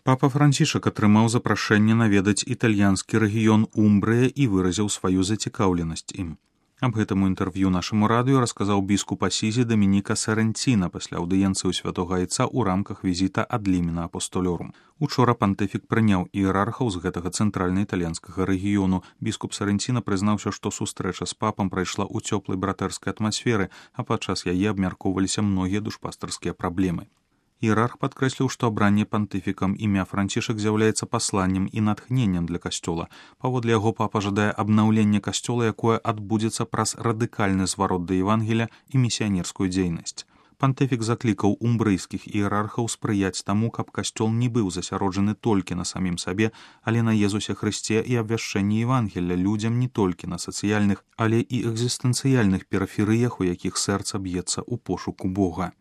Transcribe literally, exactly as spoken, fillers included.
Папа Францішак атрымаў запрашэнне наведаць італьянскі рэгіён Умбрыя і выразіў сваю зацікаўленасць ім. Аб гэтым у інтэрв'ю нашаму радыё расказаў біскуп Асізі Дамініка Сарэнціна пасля аўдыенцыі ў святога айца ў рамках візіта ад лімена апостолёрум. Учора пантыфік прыняў іерархаў з гэтага цэнтральна-італьянскага рэгіёну. Біскуп Сарэнціна прызнаўся, што сустрэча з папам прайшла ў цёплай братэрскай атмасферы, а падчас яе абмяркоўваліся многія душпастарскія праблемы. Іерарх падкрэсліў, што абранне пантыфікам імя Францішак з'яўляецца пасланнем і натхненнем для касцёла. Паводле яго папа жадае абнаўлення касцёла, якое адбудзецца праз радыкальны зварот да Евангелія і місіянерскую дзейнасць. Пантыфік заклікаў умбрыйскіх іерархаў спрыяць таму, каб касцёл не быў засяроджаны толькі на самім сабе, але на Езусе Хрысце і абвяшчэнні Евангелля людзям не толькі на сацыяльных, але і экзістэнцыяльных перыферыях, у якіх сэрца б'ецца ў пошуку Бога.